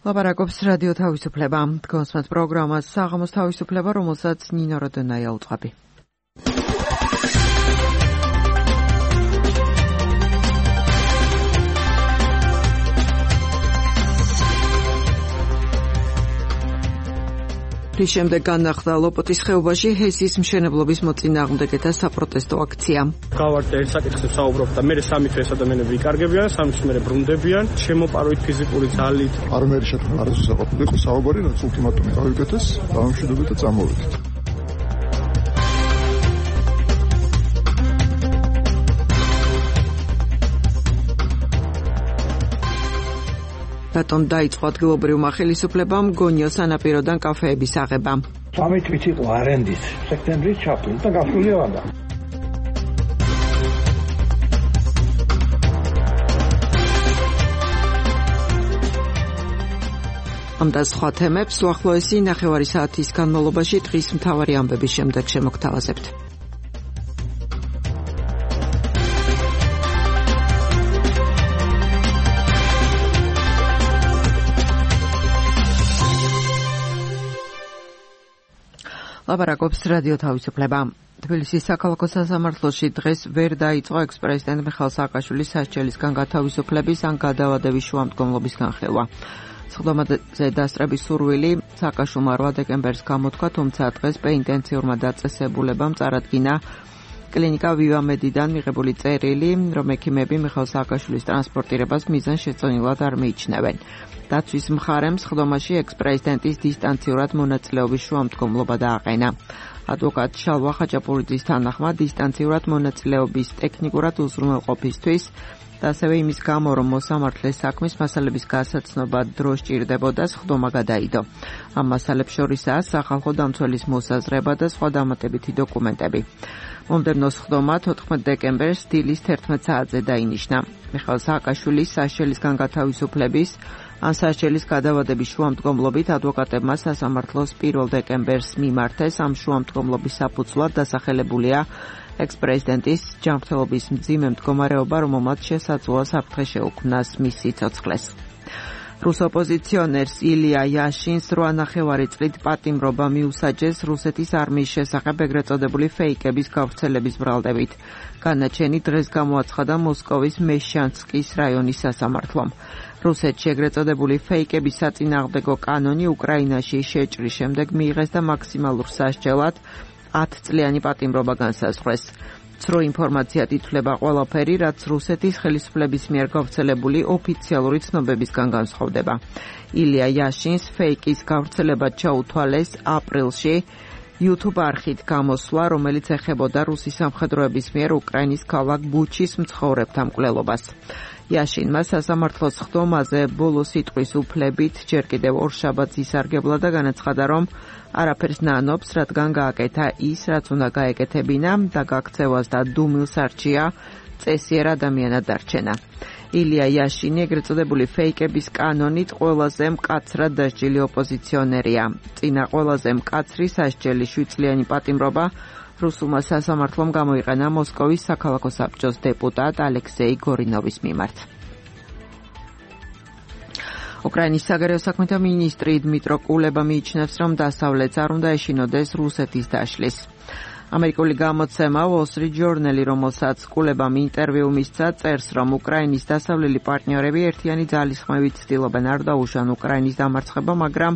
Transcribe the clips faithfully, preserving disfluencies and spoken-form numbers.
ლაპარაკობს რადიო თავისუფლება. Თქვენს პროგრამას საღამოს თავისუფლება, რომელსაც ნინო როდონაია უწყობი. რის შემდეგ განახლდა ლოპოტის ხეობაში ჰესის მშენებლობის მოწინააღმდეგეთა საპროტესტო აქცია. გავარდე ერთ საკითხებს საუბრობ და მე სამი თვე ეს ადამიანები ვიკარგებიან, სამი თვე მე ბრუნდებიან, შემოპარვით ფიზიკური ძალით. არამერი შეთქმული არ შესაძლოა იყო საუბარი, რაც ულტიმატუმი გავიგეთეს, დამშვიდობეთ და წამოვიდეთ. რატომ დაიწყო ადგილობრივმა ხელისუფლებამ გონიოს სანაპიროდან კაფეების აღება? სამი თვით იყო არენდის, სექტემბრის ჩაფრულ და გასულია ვადა. ამ და სხვა თემებს უახლოესი ნახევარი საათის განმავლობაში დღის მთავარი ამბების შემდეგ შემოგთავაზებთ. ლაპარაკობს რადიო თავისუფლება. თბილისის საქალაქო სასამართლოში დღეს ვერ დაიწყო ექს-პრეზიდენტ მიხეილ სააკაშვილის სასჯელისგან გათავისუფლების ან გადავადების შუამდგომლობის განხილვა. სხდომაზე დასწრების სურვილი სააკაშვილმა რვა დეკემბერს გამოთქვა, თუმცა დღეს პენიტენციურმა დაწესებულებამ წარადგინა კლინიკა ვივამედიდან მიღებული წერილი, რომ ექიმები მიხეილ სააკაშვილის ტრანსპორტირებას მიზანშეწონილად არ მიიჩნევენ. დაცვის მხარემ სხდომაში ექს-პრეზიდენტის დისტანციურად მონაწილეობის შუამდგომლობა დააყენა. ადვოკატ შალვა ხაჭაპურიძის თანახმად დისტანციურად მონაწილეობის ტექნიკურად უზრუნველყოფისთვის და ასევე იმის გამო, რომ მოსამართლეს საქმის მასალების გასაცნობა დრო სჭირდებოდა, სხდომა გადაიდო. ამ მასალებს შორისაა სახალხო დამცველის მოსაზრება და სხვა დამატებითი დოკუმენტები. მომდევნო სხდომა თოთხმეტ დეკემბერს დილის თერთმეტ საათზე დაინიშნა. მიხეილ სააკაშვილის სასჯელისგან გათავისუფლების ან სასჯელის გადავადების შუამდგომლობით ადვოკატებმა სასამართლოს პირველ დეკემბერს მიმართეს. ამ შუამდგომლობის საფუძვლად დასახელებულია ექს-პრეზიდენტის ჯანმრთელობის მძიმე მდგომარეობა, რომელმაც შესაძლოა საფრთხე შეუქმნას მის სიცოცხლეს. რუს ოპოზიციონერს ილია იაშინს რვა ნახევარი წლით პატიმრობა მიუსაჯეს რუსეთის არმიის შესახებ ეგრეთ წოდებული ფეიკების გავრცელების ბრალდებით. განაჩენი დღეს გამოაცხადა მოსკოვის მეშანსკის რაიონის სასამართლომ. რუსეთში ეგრეთ წოდებული ფეიკების საწინააღმდეგო კანონი უკრაინაში შეჭრის შემდეგ მიიღეს და მაქსიმალურ სასჯელად ათწლიანი პატიმრობა განსაზღვრეს. ცრო ინფორმაციად ითვლება ყველაფერი, რაც რუსეთის ხელისუფლების მიერ გავრცელებული ოფიციალური ცნობებისგან განსხვავდება. ილია იაშინს ფეიკის გავრცელება ჩაუთვალეს აპრილში YouTube არხით გამოსვლა, რომელიც ეხებოდა რუსის სამხედროების მიერ უკრაინის ქალაქ ბუჩის მცხოვრებთა მკვლელობას. იაშინმა სასამართლოს სხდომაზე ბოლო სიტყვის უფლებით ჯერ კიდევ ორშაბათს ისარგებლა და განაცხადა, რომ არაფერს ნანობს, რადგან გააკეთა ის, რაც უნდა გაეკეთებინა და გაქცევას და დუმილს არჩია წესიერ ადამიანად დარჩენა. ილია იაშინი ეგრეთ წოდებული ფეიკების კანონით ყველაზე მკაცრად დასჯილი ოპოზიციონერია. წინა ყველაზე მკაცრი სასჯელი შვიდწლიანი პატიმრობა რუსულმა სასამართლომ გამოიყენა მოსკოვის საქალაქო საბჭოს დეპუტატ ალექსეი გორინოვის მიმართ. უკრაინის საგარეო საქმეთა მინისტრი დმიტრო კულება მიიჩნევს, რომ დასავლეთს არ უნდა ეშინოდეს რუსეთის დაშლის. ამერიკული გამოცემა Wall Street Journal, რომელსაც კულებამ ინტერვიუ მისცა, წერს, რომ უკრაინის დასავლელი პარტნიორები ერთიანი ძალისხმევით ცდილობენ არ დაუშვან უკრაინის დამარცხება, მაგრამ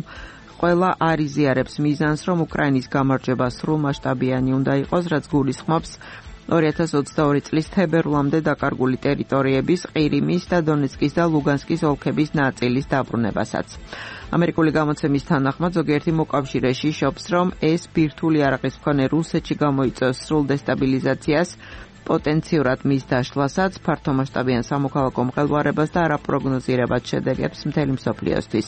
ყველა არ იზიარებს მიზანს, რომ უკრაინის გამარჯვება სრულმასშტაბიანი უნდა იყოს, რაც გულისხმობს ორი ათას ოცდაორი წლის თებერვლამდე დაკარგული ტერიტორიების, ყირიმის და დონეცკის და ლუგანსკის ოლქების ნაწილის დაბრუნებასაც. ამერიკული გამოცემის თანახმად ზოგიერთი მოკავშირე შიშობს, რომ ეს ბირთვული იარაღის მქონე რუსეთში გამოიწვევს სრულ დესტაბილიზაციას, პოტენციურად მის დაშლასაც, ფართომასშტაბიან სამოქალაქო მღელვარებას და არაპროგნოზირებად შედეგებს მთელი მსოფლიოსთვის.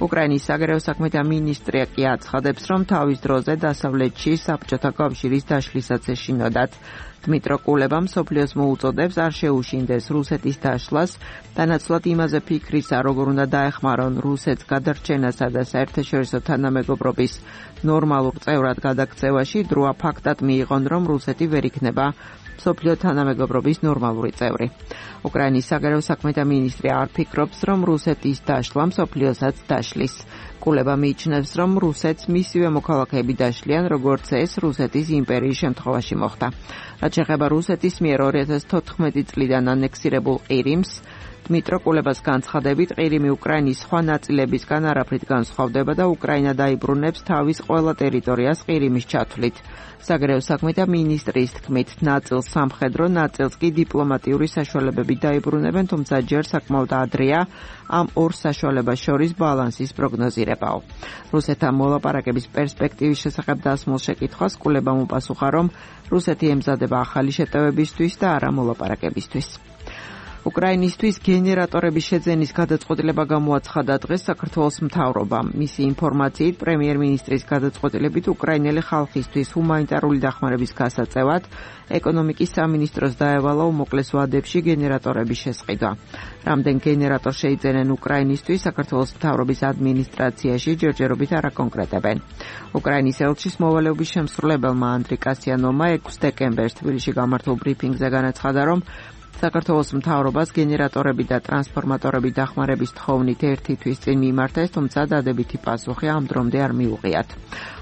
უკრაინის საგარეო საქმეთა მინისტრი კი აცხადებს, რომ თავის დროზე დასავლეთში საბჭოთა კავშირის დაშლისაც ეშინოდათ. დმიტრო კულებამ მსოფლიოს მოუწოდებს არ შეუშინდეს რუსეთის დაშლას, დანაცვლად იმაზე ფიქრისა, როგორ უნდა დაეხმარონ რუსეთს გადარჩენასა და საერთაშორისო თანამეგობრობის ნორმალურ წევრად გადაქცევაში, დროა ფაქტად მიიღონ, რომ რუსეთი ვერ იქნება მსოფლიო თანამეგობრობის ნორმალური წევრი. უკრაინის საგარეო საქმეთა მინისტრი არ ფიქრობს, რომ რუსეთის დაშლა მსოფლიოსაც დაშლის. კულება მიიჩნევს, რომ რუსეთს მისივე მოქალაქეები დაშლიან, როგორც ეს რუსეთის იმპერიის შემთხვევაში მოხდა. რაც შეეხება რუსეთის მიერ ორი ათას თოთხმეტი წლიდან ანექსირებულ ყირიმს, დმიტრო კულებას განცხადებით, ყირიმი უკრაინის სხვა ნაწილებისგან არაფრით განსხვავდება და უკრაინა დაიბრუნებს თავის ყველა ტერიტორიას ყირიმის ჩათვლით. საგარეო საქმეთა მინისტრის თქმით, ნაწილს სამხედრო, ნაწილს კი დიპლომატიური საშუალებები დაიბრუნებენ, თუმცა ჯერ საკმაოდ ადრეა ამ ორ საშუალებას შორის ბალანსის პროგნოზირებაო. რუსეთთან მოლაპარაკების პერსპექტივის შესახებ დასმულ შეკითხვას კულებამ უპასუხა, რომ რუსეთი ემზადება ახალი შეტევებისთვის და არა მოლაპარაკებისთვის. უკრაინისთვის გენერატორების შეძენის გადაწყვეტილება გამოაცხადა დღეს საქართველოს მთავრობამ. მისი ინფორმაციით, პრემიერ-მინისტრის გადაწყვეტილებით უკრაინელი ხალხისთვის ჰუმანიტარული დახმარების გასაწევად ეკონომიკის სამინისტროს დაევალა უმოკლეს ვადებში გენერატორების შესყიდვა. რამდენ გენერატორს შეიძენენ უკრაინისთვის, საქართველოს მთავრობის ადმინისტრაციაში ჯერჯერობით არ აკონკრეტებენ. უკრაინის ელჩის მოვალეობის შემსრულებელმა ანდრი კასიანოვმა ექვსი დეკემბერს თბილისში გამართულ ბრიფინგზე განაცხადა, რომ საქართველოს მთავრობას გენერატორები და ტრანსფორმატორები დახმარების თხოვნით ერთი თვის წინ მიმართეს, თუმცა დადებითი პასუხი ამ დრომდე არ მიუღიათ.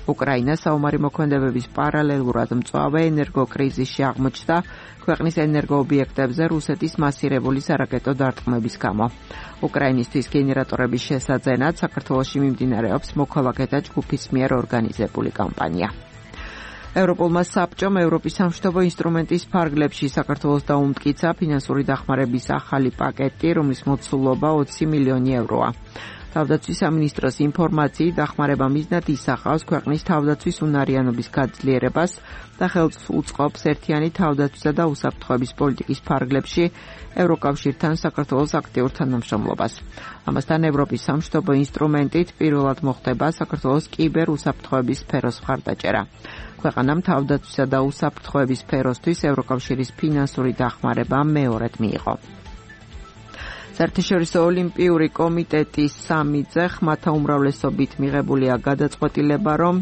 უკრაინა საომარი მოქმედებების პარალელურად მწვავე ენერგოკრიზისში აღმოჩნდა ქვეყნის ენერგოობიექტებზე რუსეთის მასირებული სარაკეტო დარტყმების გამო. უკრაინისთვის გენერატორების შესაძენად საქართველოში მიმდინარეობს მოქალაქეთა ჯგუფის მიერ ორგანიზებული კამპანია. ევროპულმა საბჭომ ევროპის სამშვიდობო ინსტრუმენტის ფარგლებში საქართველოს დაუმტკიცა ფინანსური დახმარების ახალი პაკეტი, რომლის მოცულობა ოცი მილიონი ევროა. თავდაცვის სამინისტროს ინფორმაციით, დახმარება მიზნად ისახავს ქვეყნის თავდაცვის უნარიანობის გაძლიერებას და ხელს უწყობს ერთიანი თავდაცვისა და უსაფრთხოების პოლიტიკის ფარგლებში ევროკავშირთან საქართველოს აქტიურ თანამშრომლობას. ამასთან ევროპის სამშვიდობო ინსტრუმენტით პირველად მოხდება საქართველოს კიბერ უსაფრთხოების სფეროს მხარდაჭერა. ქვეყანამ თავდაცვისა და უსაფრთხოების სფეროსთვის ევროკავშირის ფინანსური დახმარება მეორედ მიიღო. საერთაშორისო ოლიმპიური კომიტეტის სამი-ძე ხმათა უმრავლესობით მიღებულია გადაწყვეტილება, რომ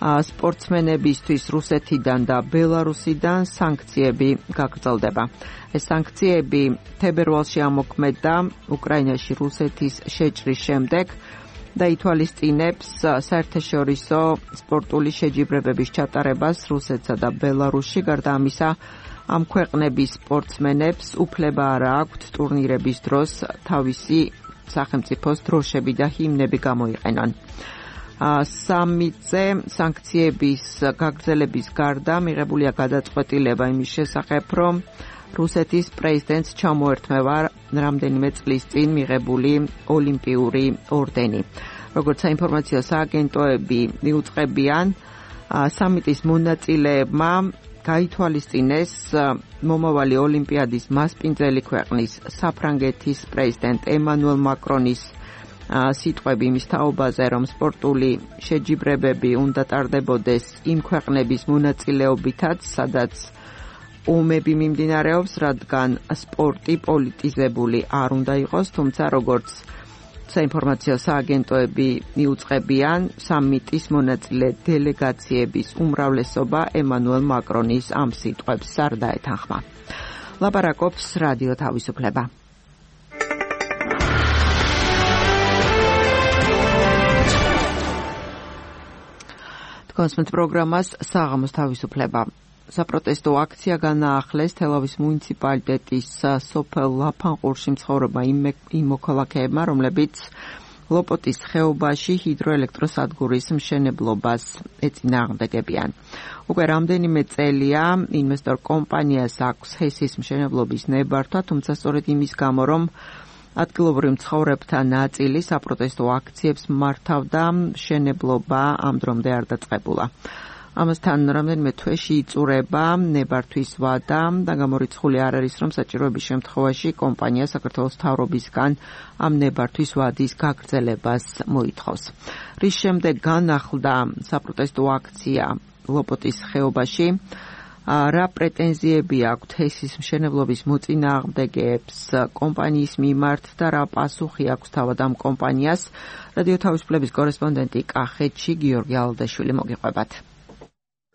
სპორტსმენებისთვის რუსეთიდან და ბელარუსიდან სანქციები გაგრძელდება. ეს სანქციები თებერვალში ამოქმედდა უკრაინაში რუსეთის შეჭრის შემდეგ და ითვალისწინებს საერთაშორისო სპორტული შეჯიბრებების ჩატარებას რუსეთსა და ბელარუსში. გარდა ამისა, ამ ქვეყნების სპორტსმენებს უფლება არ აქვთ ტურნირების დროს თავისი სახელმწიფოს დროშები და ჰიმნები გამოიყენონ. სამი-ძე სანქციების გაგრძელების გარდა მიღებულია გადაწყვეტილება იმის შესახებ, რომ რუსეთის პრეზიდენტს ჩამოერთმევა რამდენიმე წლის წინ მიღებული ოლიმპიური ორდენი. როგორც საინფორმაციო სააგენტოები მიუწყებიან, სამიტის მონაწილეებმა გაითვალისწინეს მომავალი ოლიმპიადის მასპინძელი ქვეყნის საფრანგეთის პრეზიდენტ ემანუელ მაკრონის სიტყვები იმის თაობაზე, რომ სპორტული შეჯიბრებები უნდა ტარდებოდეს იმ ქვეყნების მონაწილეობითაც, სადაც ომები მიმდინარეობს, რადგან სპორტი პოლიტიზებული არ უნდა იყოს, თუმცა როგორც საინფორმაციო სააგენტოები მიუწყებიან, სამიტის მონაწილე დელეგაციების უმრავლესობა ემანუელ მაკრონის ამ სიტყვებს არ დაეთანხმა. ლაპარაკობს რადიო თავისუფლება. თქვენს პროგრამას საღამოს თავისუფლება. საპროტესტო აქცია განაახლეს თელავის მუნიციპალიტეტის სოფელ ლაფანყურში მცხოვრებმა იმ მოქალაქეებმა, რომლებიც ლოპოტის ხეობაში ჰიდროელექტროსადგურის მშენებლობას ეწინააღმდეგებიან. უკვე რამდენიმე წელია ინვესტორ კომპანიას აქვს ჰესის მშენებლობის ნებართვა, თუმცა სწორედ იმის გამო, რომ ადგილობრივ მცხოვრებთა ნაწილი საპროტესტო აქციებს მართავდა, მშენებლობა ამ დრომდე არ დაწყებულა. ამასთან რამდენიმე თვეში იწურება ნებართვის ვადა და გამორიცხული არ არის, რომ საჭიროების შემთხვევაში კომპანია საქართველოს მთავრობისგან ამ ნებართვის ვადის გაგრძელებას მოითხოვს. რის შემდეგ განახლდა საპროტესტო აქცია ლოპოტის ხეობაში, რა პრეტენზიები აქვთ ჰესის მშენებლობის მოწინააღმდეგეებს კომპანიის მიმართ და რა პასუხი აქვს თავად ამ კომპანიას? რადიო თავისუფლების კორესპონდენტი კახეთში გიორგი ალდაშვილი მოგიყვებათ.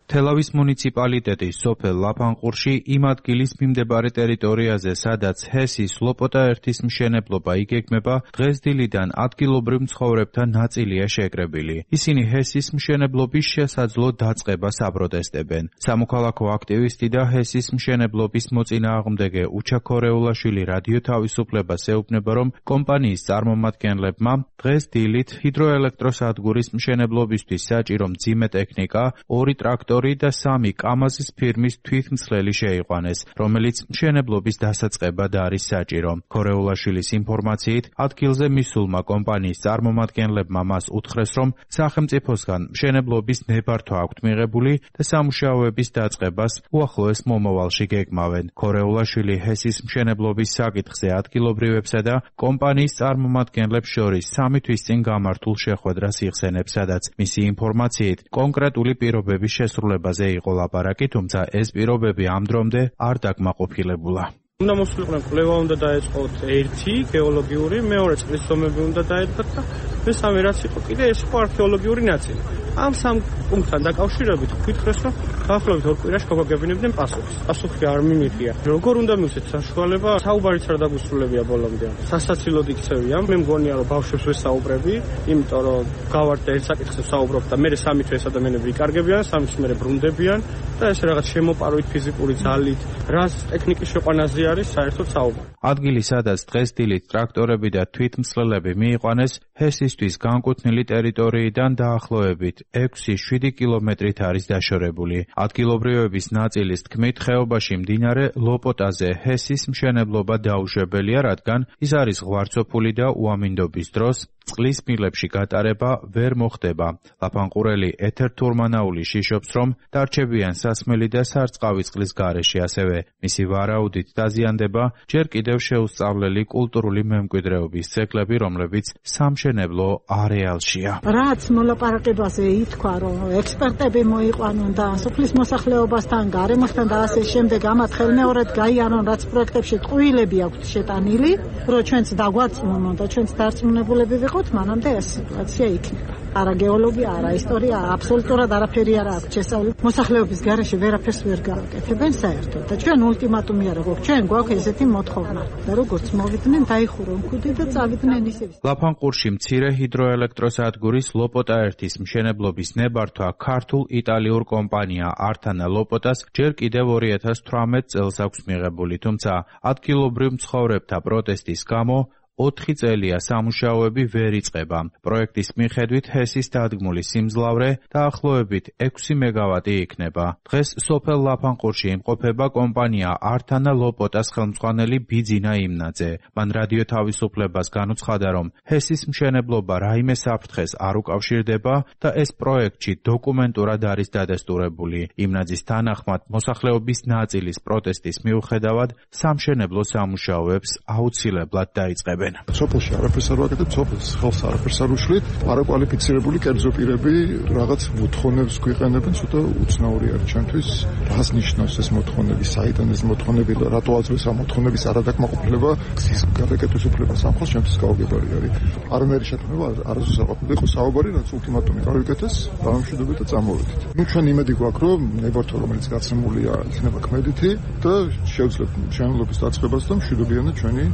თელავის მუნიციპალიტეტის სოფელ ლაფანყურში იმ ადგილის მიმდებარე ტერიტორიაზე, სადაც ჰესის ლოპოტა ერთის მშენებლობა იგეგმება, დღეს დილიდან ადგილობრივ მცხოვრებთა ნაწილია შეკრებილი. ისინი ჰესის მშენებლობის შესაძლო დაწყებას აპროტესტებენ. სამოქალაქო აქტივისტი და ჰესის მშენებლობის მოწინააღმდეგე უჩა ქორეულაშვილი რადიო თავისუფლებას ეუბნება, რომ კომპანიის წარმომადგენლებმა დღეს დილით ჰიდროელექტროსადგურის მშენებლობისთვის საჭირო მძიმე ტექნიკა, ორი ტრაქტორი და სამი კამაზის ფირმის თვითმცლელი შეიყვანეს, რომელიც მშენებლობის დასაწყებად არის საჭირო. ქორეულაშვილის ინფორმაციით, ადგილზე მისულმა კომპანიის წარმომადგენლებმა მას უთხრეს, რომ სახელმწიფოსგან მშენებლობის ნებართვა აქვთ მიღებული და სამუშაოების დაწყებას უახლოეს მომავალში გეგმავენ. ქორეულაშვილი ჰესის მშენებლობის საკითხზე ადგილობრივებსა და კომპანიის წარმომადგენლებს შორის სამი თვის წინ გამართულ შეხვედრას იხსენებს, სადაც მისი ინფორმაციით კონკრეტული პირობების შესრულებაზე იყო ლაპარაკი, თუმცა ეს პირობები ამ დრომდე არ დაკმაყოფილებულა. უნდა მოსულიყვნენ კვლევა უნდა დაეწყოთ ერთი გეოლოგიური, მეორე წყლის ზომები უნდა დაეწყოთ და მესამე რაც იყო კიდე ეს იყო არქეოლოგიური ნაწილი. ამ სამ პუნქტთან დაკავშირებით ვფიქრეს, რომ დაახლოებით ორ კვირაში გავაგებინებდნენ პასუხს. პასუხი არ მიმიღია. როგორ უნდა მივცეთ საშუალება? საუბარიც არ დაგვისრულებია ბოლომდე. სასაცილოდ იქცევია. მე მგონია, რომ ბავშვებს ვესაუბრები, იმიტომ რომ გავართ და ერთ საკითხზე ვსაუბრობ და მე სამი თვე ეს ადამიანები ვიკარგებიან, სამი თვე მე ბრუნდებიან და ეს რაღაც შემოპარვით ფიზიკური ძალით, რას ტექნიკის შეყვანაზე არის საერთოდ საუბარი. ადგილი, სადაც დღეს დილით ტრაქტორები და თვითმცლელები მიიყვანეს, ჰესისთვის განკუთვნილი ტერიტორიიდან დაახლოებით ექვსი შვიდი კილომეტრით არის დაშორებული. ადგილობრივების ნაწილის თქმით, ხეობაში მდინარე ლოპოტაზე ჰესის მშენებლობა დაუშვებელია, რადგან ის არის ღვარცოფული და უამინდობის დროს წყლის მილებში გატარება ვერ მოხდება. ლაფანყურელი ეთერ თურმანაული შიშობს, რომ დარჩებიან სასმელი და სარწყავი წყლის გარეშე, ასევე მისი ვარაუდით დაზიანდება ჯერ კიდევ შეუსწავლელი კულტურული მემკვიდრეობის ძეგლები, რომლებიც სამშენებლო არეალშია. რაც მოლაპარაკებაზე ითქვა, რომ ექსპერტები მოიყვანონ და სოფლის მოსახლეობასთან, გარემოსთან და ასე შემდეგ ამათ ხელმეორედ გაიარონ, რაც პროექტებში ტყუილები აქვთ შეტანილი, რომ ჩვენც დაგვარწმუნონ და ჩვენც დარწმუნებულები ვიყოთ, მანამდე ეს სიტუაცია იქნება. არა გეოლოგია, არა ისტორია, აბსოლუტურად არაფერი არ აქვს შესწავლილი. მოსახლეობის გარეშე ვერაფერს ვერ გააკეთებენ საერთოდ და ჩვენ ულტიმატუმი არ გვაქვს, ჩვენ გვაქვს ესეთი მოთხოვნა და როგორც მოვიდნენ, დაიხურონ ქუდი და წავიდნენ ისევ. ლაფანყურში მცირე ჰიდროელექტროსადგურის ლოპოტა ერთის მშენებლობის ნებართვა ქართულ იტალიურ კომპანია ართანა ლოპოტას ჯერ კიდევ ორი ათას თვრამეტ წელს აქვს მიღებული, თუმცა ადგილობრივ მცხოვრებთა პროტესტის გამო ოთხი წელია სამუშაოები ვერ იწყება. პროექტის მიხედვით ჰესის დადგმული სიმძლავრე დაახლოებით ექვსი მეგავატი იქნება. დღეს სოფელ ლაფანყურში იმყოფება კომპანია ართანა ლოპოტას ხელმძღვანელი ბიძინა იმნაძე. მან რადიო თავისუფლებას განუცხადა, რომ ჰესის მშენებლობა რაიმე საფრთხეს არ უკავშირდება და ეს პროექტში დოკუმენტურად არის დადასტურებული. იმნაძის თანახმად, მოსახლეობის ნაწილის პროტესტის მიუხედავად, სამშენებლო სამუშაოებს აუცილებლად დაიწყებენ. სოფელში არაფერს არ ვაკეთებ, სოფელს ხელს არაფერს არ უშლით. არაკვალიფიცირებული კერძო პირები რაღაც მოთხოვნებს გვიყენებენ, ცოტა უცნაური არის ჩვენთვის. რას ნიშნავს ეს მოთხოვნები, საიდან ეს მოთხოვნები და რატო აძლევს ამ მოთხოვნების არადაკმაყოფილება, გზის გადაკეტვის უფლება სამხელს ჩვენთვის გაუგებარი არის. არანაირი შეთანხმება არასდროს არ ყოფილა, იყო საუბარი, რაც ულტიმატუმი გავიკეთეს, დამშვიდობით და წამოვიდით. ნუ ჩვენ იმედი გვაქვს, რომ ნებართვა, რომელიც გაცემულია, იქნება ქმედითი და შევძლებ მშენებლობის დაწყებას და მშვიდობიანად ჩვენი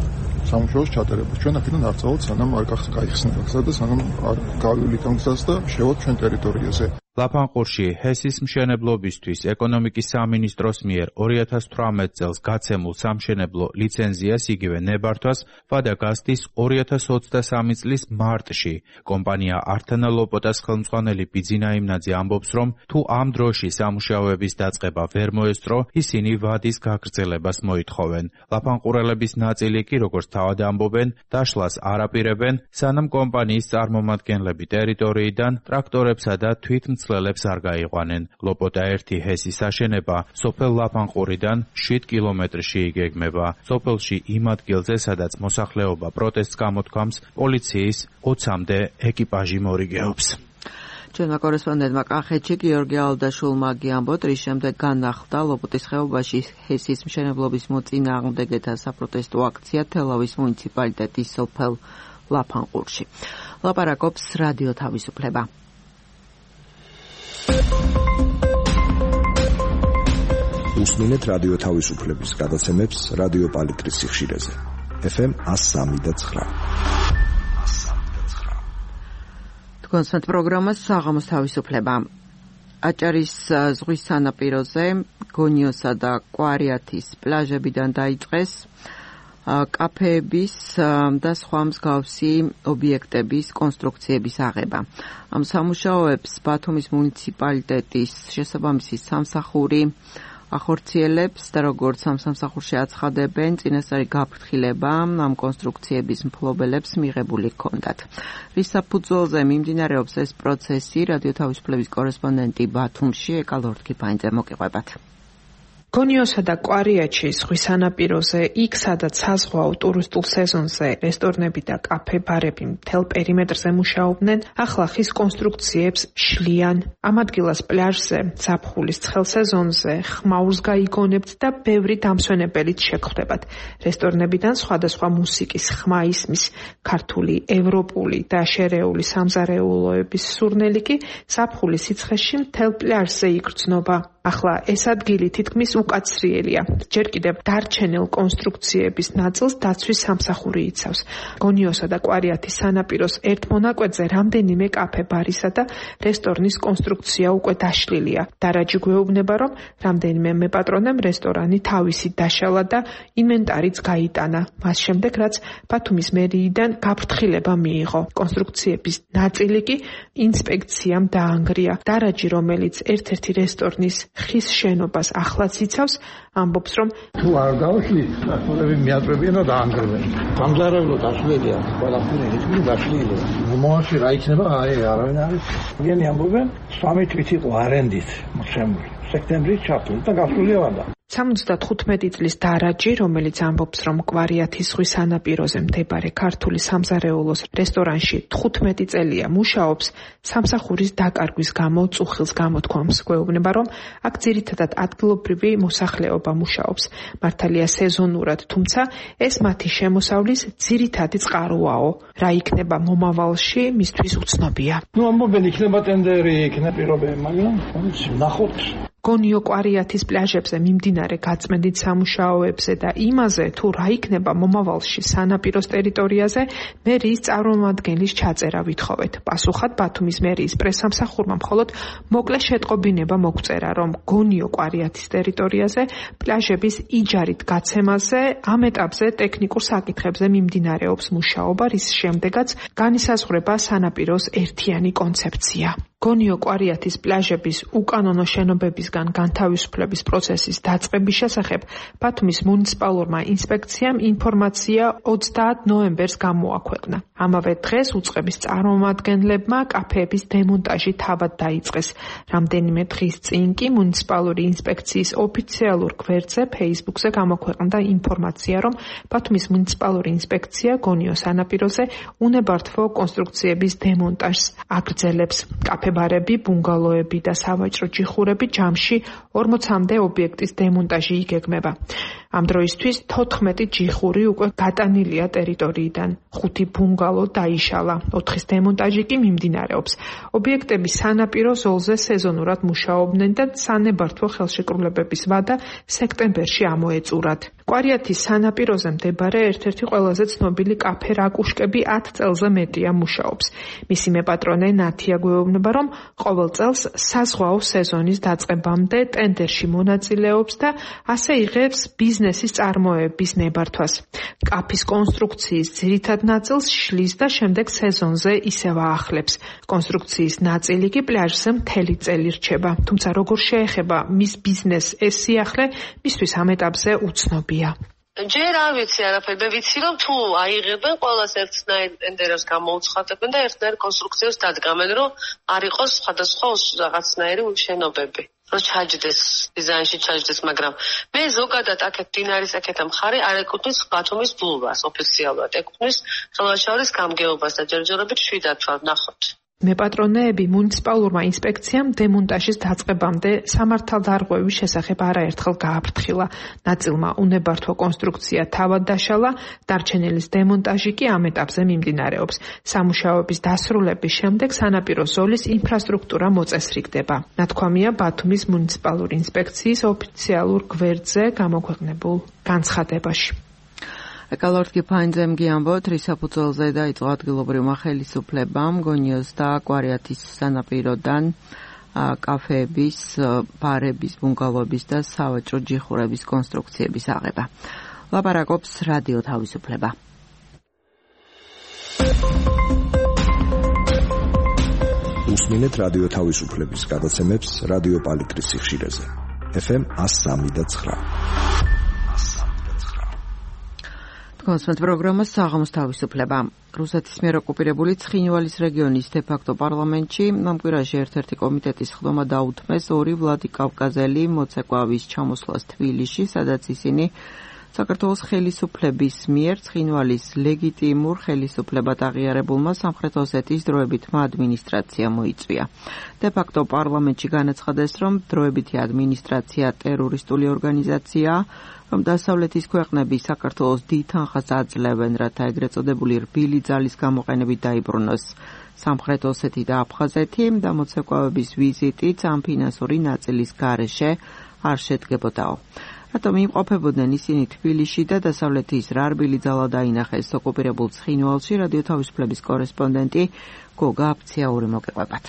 სამუშაოს ჩატარება. ჩვენ აქედან არ წავალთ, სანამ არ გაიხსნება გზა და სანამ არ გავივლით ამ გზას და შევალთ ჩვენ ტერიტორიაზე. ლაფანყურში ჰესის მშენებლობისთვის ეკონომიკის სამინისტროს მიერ ორი ათას თვრამეტ წელს გაცემულ სამშენებლო ლიცენზიას იგივე ნებართვას ვადა გასდის ორი ათას ოცდასამი წლის მარტში. კომპანია ართანა ლოპოტას ხელმძღვანელი ბიძინა იმნაძე ამბობს, რომ თუ ამ დროში სამუშაოების დაწყება ვერ მოესწრო, ისინი ვადის გაგრძელებას მოითხოვენ. ლაფანყურელების ნაწილი კი, როგორც თავად ამბობენ, დაშლას არ აპირებენ, სანამ კომპანიის წარმომადგენლები ტერიტორიიდან ტრაქტორებსა და თვითმცლელებს არ გაიყვანენ. ლოპოტა ერთი ჰესის აშენება სოფელ ლაფანყურიდან შვიდ კილომეტრში იგეგმება. სოფელში იმ ადგილზე, სადაც მოსახლეობა პროტესტს გამოთქვამს, პოლიციის ოცამდე ეკიპაჟი მორიგეობს. ჩვენმა კორესპონდენტმა კახეთში გიორგი ალდაშულმა გიამბოთ, რის შემდეგ განახლდა ლოპოტის ხეობაში ჰესის მშენებლობის მოწინააღმდეგეთა საპროტესტო აქცია თელავის მუნიციპალიტეტის სოფელ ლაფანყურში. ლაპარაკობს რადიო თავისუფლება. უსმინეთ რადიო თავისუფლების გადაცემებს რადიო პალიტრის სიხშირეზე. ეფ ემ one oh three point nine. კონსერტ პროგრამას საღამოს თავისუფლება. აჭარის ზღვის სანაპიროზე გონიოსა და კვარიათის პლაჟებიდან დაიწყეს კაფეების და სხვა მსგავსი ობიექტების კონსტრუქციების აღება. ამ სამუშაოებს ბათუმის მუნიციპალიტეტის შესაბამისი სამსახური ახორციელებს და როგორც ამ სამსახურში აცხადებენ, წინასწარი გაფრთხილება ამ კონსტრუქციების მფლობელებს მიღებული ჰქონდათ. რის საფუძველზე მიმდინარეობს ეს პროცესი, რადიო თავისუფლების კორესპონდენტი ბათუმში ეკა ლორთქიფანიძე მოგიყვებათ. გონიოსა და კვარიათში ზღვის სანაპიროზე, იქ სადაც საზღვაო ტურისტულ სეზონზე რესტორნები და კაფე-ბარები მთელ პერიმეტრზე მუშაობდნენ, ახლა ხის კონსტრუქციებს შლიან. ამ ადგილას პლაჟზე, ზაფხულის ცხელ სეზონზე ხმაურს გაიგონებთ და ბევრი დამსვენებელით შეგხვდებათ. რესტორნებიდან სხვადასხვა მუსიკის ხმა ისმის, ქართული, ევროპული და შერეული სამზარეულოების სურნელი კი ზაფხულის სიცხეში მთელ პლაჟზე იგრძნობა. ახლა ეს ადგილი თითქმის უკაცრიელია. ჯერ კიდევ დარჩენილ კონსტრუქციების ნაწილს დაცვის სამსახური იცავს. გონიოსა და კვარიათის სანაპიროს ერთ მონაკვეთზე რამდენიმე კაფე-ბარისა და რესტორნის კონსტრუქცია უკვე დაშლილია. დარაჯი გვეუბნება, რომ რამდენიმე მეპატრონემ რესტორანი თავისით დაშალა და ინვენტარიც გაიტანა. მას შემდეგ, რაც ბათუმის მერიიდან გაფრთხილება მიიღო. კონსტრუქციების ნაწილი კი ინსპექციამ დაანგრია. დარაჯი, რომელიც ერთ-ერთი რესტორნის ხის შენობას ახლაც იცავს, ამბობს, რომ თუ არ დავშლით, ახალები მიაწვევიან და დაანგრევენ. სამზარეულო დაშლილია, ყველაფერი ისმი დაშლილია. მომავალში რა იქნება, აი არავინ არის. ვინი ამბობენ, სამი თვით იყო არენდით შემული. სექტემბრის ჩაფლით და გასულია ვადა. სამოცდათხუთმეტი წლის დარაჯი, რომელიც ამბობს, რომ კვარიათის ზღვის სანაპიროზე მდებარე ქართული სამზარეულოს რესტორანში თხუთმეტი წელია მუშაობს, სამსახურის დაკარგვის გამო წუხილს გამოთქვამს. გვეუბნება, რომ აქ ძირითადად ადგილობრივი მოსახლეობა მუშაობს. მართალია სეზონურად, თუმცა ეს მათი შემოსავლის ძირითადი წყაროაო. რა იქნება მომავალში, მისთვის უცნობია. ნუ ამბობენ, იქნება ტენდერი, იქნება პირობები, მაგრამ ნახოთ. გონიო კვარიათის პლაჟებზე მიმდინარე გაწმენდით სამუშაოებზე და იმაზე, თუ რა იქნება მომავალში სანაპიროს ტერიტორიაზე, მერიის წარმომადგენლის ჩაწერა ვითხოვეთ. პასუხად ბათუმის მერიის პრესსამსახურმა მხოლოდ მოკლე შეტყობინება მოგწერა, რომ გონიო კვარიათის ტერიტორიაზე პლაჟების იჯარით გაცემაზე ამ ეტაპზე ტექნიკურ საკითხებზე მიმდინარეობს მუშაობა, რის შემდეგაც განისაზღვრება სანაპიროს ერთიანი კონცეფცია. გონიო კვარიათის პლაჟების უკანონო შენობებისგან განთავისუფლების პროცესის დაწყების შესახებ ბათუმის მუნიციპალურმა ინსპექციამ ინფორმაცია ოცდაათ ნოემბერს გამოაქვეყნა. ამავე დღეს უწყების წარმომადგენლებმა კაფეების დემონტაჟი თავად დაიწყეს. რამდენიმე დღის წინ კი მუნიციპალური ინსპექციის ოფიციალურ გვერდზე Facebook-ზე გამოქვეყნდა ინფორმაცია, რომ ბათუმის მუნიციპალური ინსპექცია გონიო სანაპიროზე უნებართვო კონსტრუქციების დემონტაჟს აგრძელებს. კაფე-ბარები, ბუნგალოები და სავაჭრო ჯიხურები ჯამში ორმოცამდე ობიექტის დემონტაჟი იგეგმება. ამ დროისთვის თოთხმეტი ჯიხური უკვე გატანილია ტერიტორიიდან. ხუთი ბუნგალო დაიშალა. ოთხის დემონტაჟი კი მიმდინარეობს. ობიექტები სანაპირო ზოლზე სეზონურად მუშაობდნენ და სანებართვო ხელშეკრულებების ვადა სექტემბერში ამოეწურათ. კვარიათის სანაპიროზე მდებარე ერთ-ერთი ყველაზე ცნობილი კაფე რაკუშკები ათ წელზე მეტია მუშაობს. მისი მეპატრონე ნათია გვეუბნება, რომ ყოველ წელს საზღვაო სეზონის დაწყებამდე ტენდერში მონაწილეობს და ასე იღებს ბიზნესის წარმოების ნებართვას. კაფის კონსტრუქციის ძირითად ნაწილს შლის და შემდეგ სეზონზე ისევ აახლებს. კონსტრუქციის ნაწილი კი პლაჟზე მთელი წელი რჩება. თუმცა როგორ შეეხება მის ბიზნესს ეს სიახლე, მისთვის ამ ეტაპზე უცნობია. ჯერ არ ვიცი არაფერი, მე ვიცი რომ თუ აიღებენ ყველას ერთნაირ ტენდერებს გამოუცხადებენ და ერთნაირ კონსტრუქციებს დადგამენ, რომ არ იყოს სხვადასხვა რაღაცნაირი შენობები. რომ ჩაჯდეს, დიზაინში ჩაჯდეს, მაგრამ მე ზოგადად აქეთ დინარის აქეთა მხარე არ ეკუთვნის ბათუმის ბულვარს ოფიციალურად, ეკუთვნის ხელვაშაურის გამგეობას და ჯერჯერობით შვიდად ვარ, ნახოთ. მეპატრონეები მუნიციპალურმა ინსპექციამ დემონტაჟის დაწყებამდე სამართალდარღვევის შესახებ არაერთხელ გააფრთხილა. ნაწილმა უნებართვა კონსტრუქცია თავად დაშალა, დარჩენილის დემონტაჟი კი ამ ეტაპზე მიმდინარეობს. სამუშაოების დასრულების შემდეგ სანაპირო ზოლის ინფრასტრუქტურა მოწესრიგდება. ნათქვამია ბათუმის მუნიციპალური ინსპექციის ოფიციალურ გვერდზე გამოქვეყნებულ განცხადებაში. ეკალორტკი ფაინძემგი ამბობთ, რის საფუძველზე დაიწყო ადგილობრივმა ხელისუფლებამ გონიოს და კვარიათის სანაპიროდან კაფეების, ბარების, ბუნგალოების და სავაჭრო ჯიხურების კონსტრუქციების აღება. ლაპარაკობს რადიო თავისუფლება. უსმინეთ რადიო თავისუფლების გადაცემებს რადიო პალიტრის სიხშირეზე. ეფ ემ one oh three და nine. კონსულტ პროგრამას საღამოს თავისუფლება. რუსეთის მიერ ოკუპირებული ცხინვალის რეგიონის დე-ფაქტო პარლამენტში ამ კვირაში ერთ-ერთი კომიტეტის ხდომა დაუთმეს ორი ვლადიკავკაზელი მოცეკვავის ჩამოსვლას თბილისში, სადაც ისინი საქართველოს ხელისუფლების მიერ ცხინვალის ლეგიტიმურ ხელისუფლებად აღიარებულმა სამხრეთ ოსეთის დროებითმა ადმინისტრაციამ მოიწვია. დე-ფაქტო პარლამენტში განაცხადეს, რომ დროებითი ადმინისტრაცია ტერორისტული ორგანიზაციაა, რომ დასავლეთის ქვეყნები საქართველოს დიდ თანხას აძლევენ, რათა ეგრეთ წოდებული რბილი ძალის გამოყენებით დაიბრუნოს სამხრეთ ოსეთი და აფხაზეთი და მოცეკვავების ვიზიტიც ამ ფინანსური ნაწილის გარეშე არ შედგებოდაო. რატომ იმყოფებოდნენ ისინი თბილისში და დასავლეთის რა რბილი ძალა დაინახეს ოკუპირებულ ცხინვალში, რადიო თავისუფლების კორესპონდენტი გოგა აფციაური მოგეყვებათ.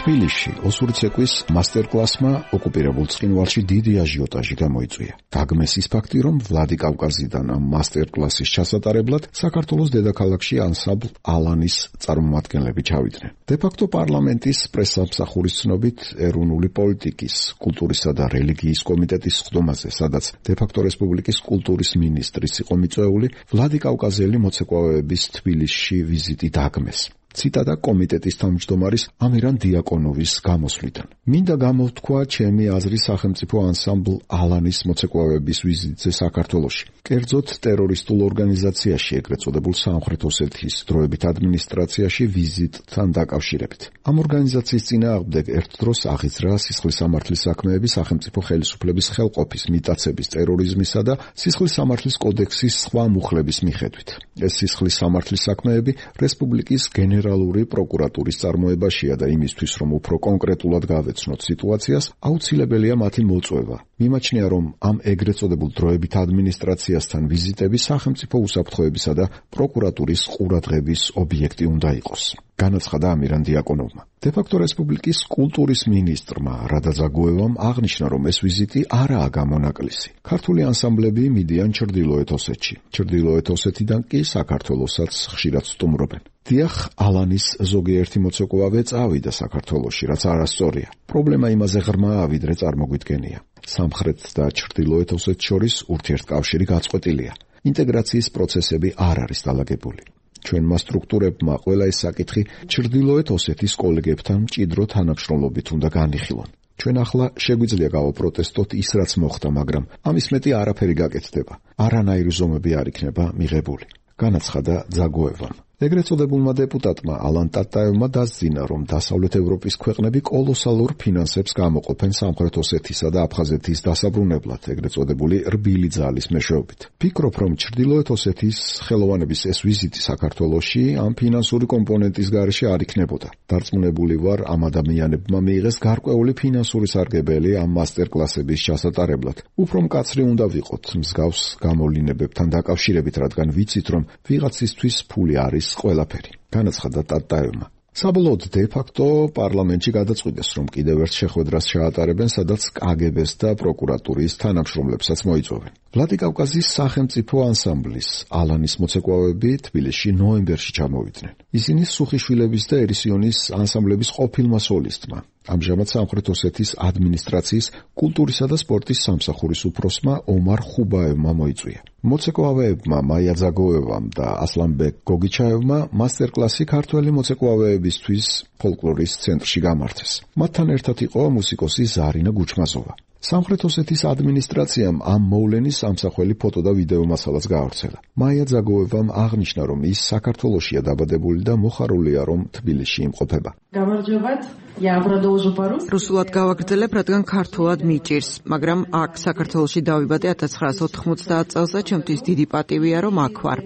თბილისში ოსური ცეკვის მასტერკლასმა ოკუპირებულ ცხინვალში დიდი აჟიოტაჟი გამოიწვია. გაგმეს ის ფაქტი, რომ ვლადიკავკაზიდან ამ მასტერკლასის ჩასატარებლად საქართველოს დედაქალაქში ანსამბლ ალანის წარმომადგენლები ჩავიდნენ. დე-ფაქტო პარლამენტის პრესსამსახურის ცნობით ეროვნული პოლიტიკის, კულტურისა და რელიგიის კომიტეტის ხდომაზე, სადაც დე-ფაქტო რესპუბლიკის კულტურის მინისტრის იყო მიწვეული, ვლადიკავკაზელი მოცეკვავეების თბილისში ვიზიტი დაგმეს. ციტატა კომიტეტის თავმჯდომარის ამირან დიაკონოვის გამოსვლიდან. მინდა გამოვთქვა ჩემი აზრი სახელმწიფო ანსამბლ ალანის მოცეკვავეების ვიზიტზე საქართველოში. კერძოდ ტერორისტულ ორგანიზაციაში, ეგრეთ წოდებულ სამხრეთ ოსეთის დროებით ადმინისტრაციაში ვიზიტთან დაკავშირებით. ამ ორგანიზაციის წინააღმდეგ ერთდროს აღიძრა სისხლის სამართლის საქმეები სახელმწიფო ხელისუფლების ხელყოფის, მიტაცების, ტერორიზმისა და სისხლის სამართლის კოდექსის სხვა მუხლების მიხედვით. ეს სისხლის სამართლის საქმეები რესპუბლიკის გენერალური პროკურატურის წარმოებაშია და იმისთვის, რომ უფრო კონკრეტულად გავეცნოთ სიტუაციას, აუცილებელია მათი მოწვევა. მიმაჩნია, რომ ამ ეგრეთ წოდებულ დროებით ადმინისტრაციასთან ვიზიტები სახელმწიფო უსაფრთხოებისა და პროკურატურის ყურადღების ობიექტი უნდა იყოს. განაცხადა ამირან დიაკონოვმა. დე-ფაქტო რესპუბლიკის კულტურის მინისტრმა რადა ზაგოევამ აღნიშნა, რომ ეს ვიზიტი არაა გამონაკლისი. ქართული ანსამბლები მიდიან ჩრდილოეთ ოსეთში. ჩრდილოეთ ოსეთიდან კი საქართველოსაც ხშირად სტუმრობენ. დიახ, ალანის ზოგიერთი მოცეკვავე წავიდა საქართველოში, რაც არასწორია. პრობლემა იმაზე ღრმაა, ვიდრე წარმოგვიდგენია. სამხრეთ და ჩრდილოეთ ოსეთს შორის ურთიერთკავშირი გაწყვეტილია. ინტეგრაციის პროცესები არ არის დალაგებული. ჩვენმა სტრუქტურებმა ყველა ეს საკითხი ჩრდილოეთ ოსეთის კოლეგებთან მჭიდრო თანამშრომლობით უნდა განიხილონ. ჩვენ ახლა შეგვიძლია გავაპროტესტოთ ის, რაც მოხდა, მაგრამ ამის მეტი არაფერი გაკეთდება. არანაირი ზომები არ იქნება მიღებული. განაცხადა ზაგოევამ. ეგრეთ წოდებულმა დეპუტატმა ალან ტატაევმა დასძინა, რომ დასავლეთ ევროპის ქვეყნები კოლოსალურ ფინანსებს გამოყოფენ სამხრეთ ოსეთისა და აფხაზეთის დასაბრუნებლად, ეგრეთ წოდებული რბილი ძალის მეშვეობით. ფიქრობ, რომ ჩრდილოეთ ოსეთის ხელოვანების ეს ვიზიტი საქართველოში ამ ფინანსური კომპონენტის გარეშე არ იქნებოდა. დარწმუნებული ვარ, ამ ადამიანებმა მიიღეს გარკვეული ფინანსური სარგებელი ამ მასტერკლასების ჩასატარებლად. უფრო მკაცრი უნდა ვიყოთ მსგავს გამოვლინებებთან დაკავშირებით, რადგან ვიცით, რომ ვიღაცისთვის ფული არის ყველაფერი. განაცხადა ტატაევმა. საბოლოოდ დე-ფაქტო პარლამენტში გადაწყვიტეს, რომ კიდევ ერთ შეხვედრას ჩაატარებენ, სადაც კაგებეს და პროკურატურის თანამშრომლებსაც მოიწვევენ. ვლადიკავკაზის სახელმწიფო ანსამბლის ალანის მოცეკვავეები თბილისში ნოემბერში ჩამოვიდნენ. ისინი სუხიშვილების და ერისიონის ანსამბლების ყოფილმა სოლისტმა, ამჟამად სამხრეთ ოსეთის ადმინისტრაციის კულტურისა და სპორტის სამსახურის უფროსმა ომარ ხუბაევმა მოიწვია. მოცეკვავეებმა მაია ზაგოევამ და ასლანბეკ გოგიჩაევმა მასტერკლასი ქართველი მოცეკვავეებისთვის ფოლკლორის ცენტრში გამართეს. მათთან ერთად იყო მუსიკოსი ზარინა გუჩმაზოვა. სამხრეთ ოსეთის ადმინისტრაციამ ამ მოვლენის ამსახველი ფოტო და ვიდეო მასალაც გაავრცელა. მაია ძაგოევამ აღნიშნა, რომ ის საქართველოშია დაბადებული და მოხარულია, რომ თბილისში იმყოფება. გამარჯობათ, я продолжу по-русски. რუსულად გავაგრძელებ, რადგან ქართულად მიჭირს, მაგრამ აქ საქართველოში დავიბადე ათას ცხრაასი ოთხმოცდაათ წელს და ჩემთვის დიდი პატივია, რომ აქ ვარ.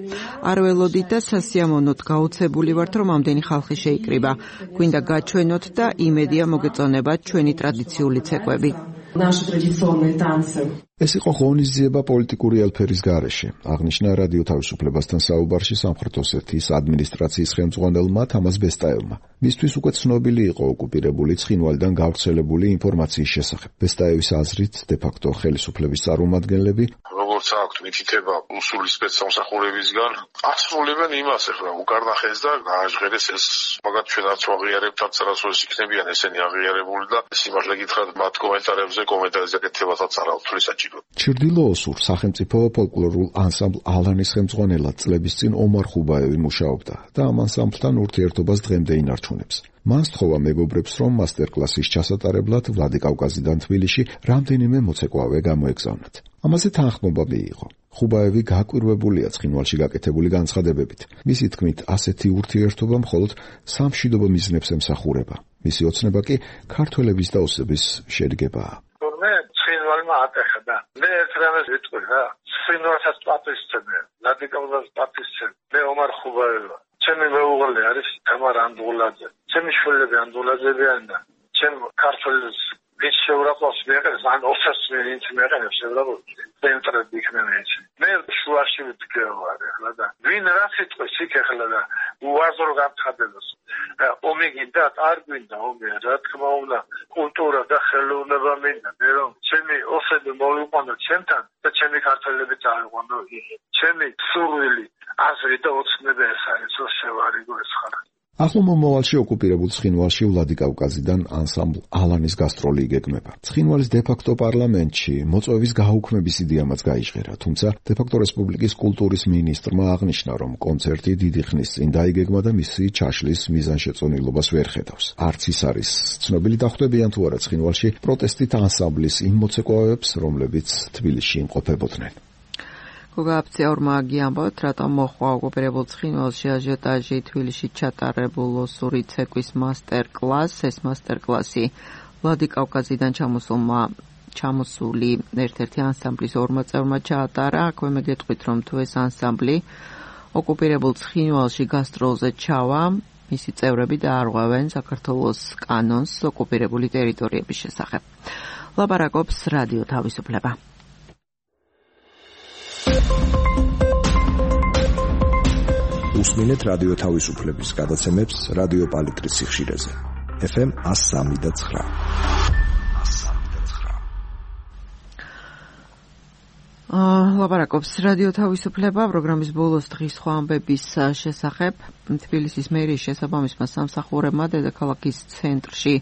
არ ველოდით და სასიამოვნოდ გაუცებული ვართ, რომ ამდენი ხალხი შეიკრიბა. გვინდა გაჩვენოთ და იმედია მოგეწონებათ ჩვენი ტრადიციული ცეკვები. Наши традиционные танцы. ეს იყო ღონისძიება პოლიტიკური ელფერის გარეშე. აღნიშნა რადიო თავისუფლებასთან საუბარში სამხრეთ ოსეთის ადმინისტრაციის ხელმძღვანელმა თამას ბესტაევმა. მისთვის უკვე ცნობილი იყო ოკუპირებული ცხინვალიდან გავრცელებული ინფორმაციის შესახებ. ბესტაევის აზრით, დე-ფაქტო ხელისუფლების წარმომადგენლები, როგორც აქვთ მითითება უსული სპეცსამსახურებისგან, ასრულებენ იმას ახლა უკარნახეს და გააჟღერეს ეს მაგათ ჩვენ არც ვაღიარებთ, არც არასოდეს იქნებიან ესენი აღიარებული და სიმართლე გითხრათ მათ კომენტარებზე კომენტარის გაკეთებასაც არ აქვს თვლისაც. ჩრდილო ოსურ სახელმწიფო ფოლკლორულ ანსამბლ ალანის ხელმძღვანელად წლების წინ ომარ ხუბაევი მუშაობდა და ამ ანსამბლთან ურთიერთობას დღემდე ინარჩუნებს. მან სთხოვა მეგობრებს, რომ მასტერკლასის ჩასატარებლად ვლადიკავკაზიდან თბილისში რამდენიმე მოცეკვავე გამოეგზავნათ. ამაზე თანხმობა მიიღო. ხუბაევი გაკვირვებულია ცხინვალში გაკეთებული განცხადებებით. მისი თქმით, ასეთი ურთიერთობა მხოლოდ სამშვიდობო მიზნებს ემსახურება. მისი ოცნება კი ქართველების და ოსების შედგებაა. ატეხა მე ერთ რამეს ვიტყვი რა სინორსაც პატისცემე ლადიკაუზას პატისცემე მე ომარ ხუბაევა ჩემი მეუღლე არის თამარ ანდღულაძე ჩემი შვილები ანდღულაძეებიან და ჩემ ქართველებს ვის შეურაცხყოფს მეყენს ან ოფერს ვინც მეყენს შეურაცხყოფს ცენტრად იქნებიან მე შუაში ვიტყვი ახლა და ვინ რა სიტყვის იქ ახლა და უაზრო გამცხადებას ომი გინდა არ გვინდა ომი რა თქმა უნდა კულტურა და ხელოვნება მინდა მე რომ ჩემი ოსები მოვიყვანო ჩემთან და ჩემი ქართველები წავიყვანო ჩემი სურვილი აზრი და ოცნება ეს არის რომ შევარიგო ეს ხარ. ახლო მომავალში ოკუპირებულ ცხინვალში ვლადიკავკაზიდან ანსამბლ ალანის გასტროლი იგეგმება. ცხინვალის დე-ფაქტო პარლამენტში მოწვევის გაუქმების იდეამაც გაიჟღერა, თუმცა დე-ფაქტო რესპუბლიკის კულტურის მინისტრმა აღნიშნა, რომ კონცერტი დიდი ხნის წინ დაიგეგმა და მისი ჩაშლის მიზანშეწონილობას ვერ ხედავს. არც ის არის ცნობილი დახვდებიან თუ არა ცხინვალში პროტესტით ანსამბლის იმ მოცეკვავეებს, რომლებიც თბილისში იმყოფებოდნენ. გოგაფციაურმა გიამბობთ, რატომ მოხვა ოკუპირებულ ცხინვალში აჟიოტაჟი თბილისში ჩატარებულ ოსური ცეკვის მასტერკლასს. ეს მასტერკლასი ვლადიკავკაზიდან ჩამოსულმა ჩამოსული ერთ-ერთი ანსამბლის ორმა წევრმა ჩაატარა. აქვე მე გეტყვით, რომ თუ ეს ანსამბლი ოკუპირებულ ცხინვალში გასტროლზე ჩავა, მისი წევრები დაარღვევენ საქართველოს კანონს ოკუპირებული ტერიტორიების შესახებ. ლაპარაკობს რადიო თავისუფლება. უსმინეთ რადიო თავისუფლების გადაცემებს რადიო პალიტრის სიხშირეზე. ეფ ემ one oh three point nine. აა ლაპარაკობს რადიო თავისუფლება პროგრამის ბოლოს დღის სხვა ამბების შესახებ. თბილისის მერიის შესაბამისმა სამსახურებმა დედაქალაქის ცენტრში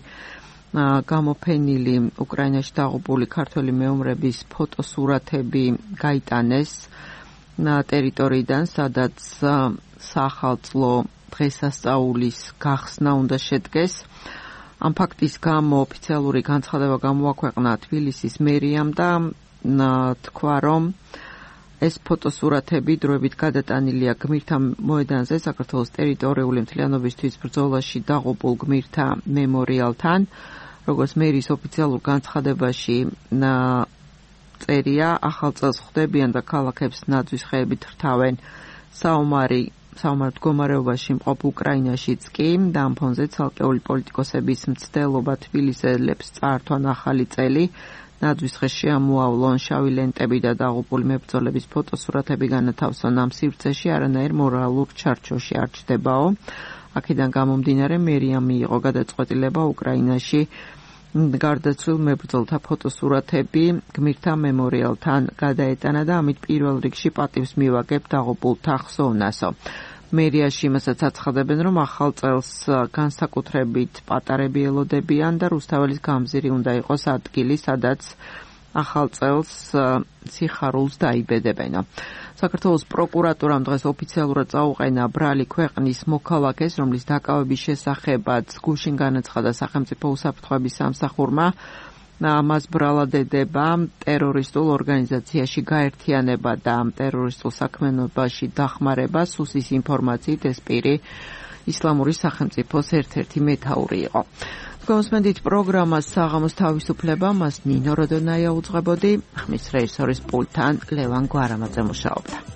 გამოფენილი უკრაინაში დაღუპული ქართველი მეომრების ფოტოსურათები გაიტანეს ტერიტორიიდან, სადაც სახალწლო დღესასწაულის გახსნა უნდა შედგეს. ამ ფაქტის გამო ოფიციალური განცხადება გამოაქვეყნა თბილისის მერიამ და თქვა, რომ ეს ფოტოსურათები დროებით გადატანილია გმირთა მოედანზე საქართველოს ტერიტორიული მთლიანობისთვის ბრძოლაში დაღუპულ გმირთა მემორიალთან. როგორც მერის ოფიციალურ განცხადებაში წერია, ახალ წელს ხვდებიან და ქალაქებს ნაძვის ხეებით რთავენ. საომარი საომარ მდგომარეობაში მყოფ უკრაინაშიც კი და ამ ფონზე ცალკეული პოლიტიკოსების მცდელობა თბილისელებს წაართვან ახალი წელი. ნაძვის ხეს შეამოავლონ შავი ლენტები და დაღუპული მებრძოლების ფოტოსურათები განათავსონ ამ სივრცეში, არანაირ მორალურ ჩარჩოში არ ჩდებაო. აქედან გამომდინარე მერიამ მიიღო გადაწყვეტილება უკრაინაში გარდაცვლილ მებრძოლთა ფოტოსურათები გმირთა მემორიალთან გადაეტანა და ამით პირველ რიგში პატივს მივაგებ დაღუპულთა ხსოვნასო. მერიაში იმასაც აცხადებენ, რომ ახალ წელს განსაკუთრებით პატარები ელოდებიან და რუსთაველის გამზირი უნდა იყოს ადგილი, სადაც ახალ წელს სიხარულს დაიბედებენო. საქართველოს პროკურატურამ დღეს ოფიციალურად წაუყენა ბრალი ქვეყნის მოქალაქეს, რომლის დაკავების შესახებაც გუშინ განაცხადა სახელმწიფო უსაფრთხოების სამსახურმა. ამას ბრალად ედება ტერორისტულ ორგანიზაციაში გაერთიანება და ტერორისტულ საქმიანობაში დახმარება. სუსის ინფორმაციით ეს პირი ისლამური სახელმწიფოს ერთ-ერთი მეთაური იყო. გასმენდით პროგრამას საღამოს თავისუფლება, მას ნინო როდონაია უძღვებოდი, ხმის რეჟისორის პულტთან ლევან გვარამაძე მუშაობდა.